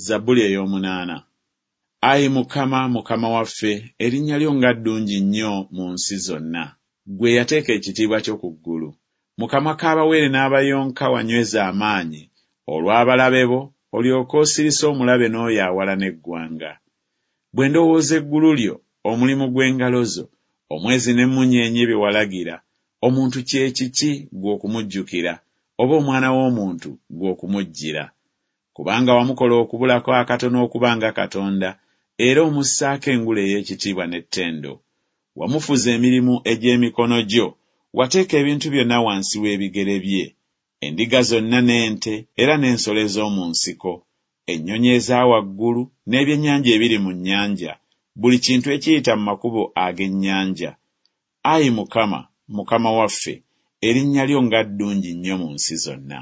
Zabbuli ey'omunaana. Ayi Mukama, Mukama waffe, erinnya lyo nga ddungi nnyo mu nsi zonna! Ggwe eyateeka ekitiibwa kyo ku ggulu. Mu kamwa k'abawere n'abayonka wanyweza amaanyi, olw'abalabe bo, olyoke osirise omulabe n'oyo awalana eggwanga. Bwe ndowooza eggulu lyo, omulimu gw'engalo zo, omwezi n'emmunyeenye bye walagira, omuntu kye kiki ggwe okumujjukira, oba omwana w'omuntu ggwe okumujjira? Kubanga wamukola okubulako akatono okuba nga Katonda, era omussaako engule ey'ekitiibwa n'ettendo. Wamufuza emirimu egy'emikono gyo, wateeka ebintu byonna wansi w'ebigere bye, endiga zonna n'ente era n'ensolo ez'omu nsiko, ennyonyi eza waggulu n'ebyennyanja ebiri mu nnyanja, buli kintu ekiyita mu makubo ag'ennyanja. Ayi Mukama, Mukama waffe, erinnya lyo nga ddungi nnyo mu nsi zonna!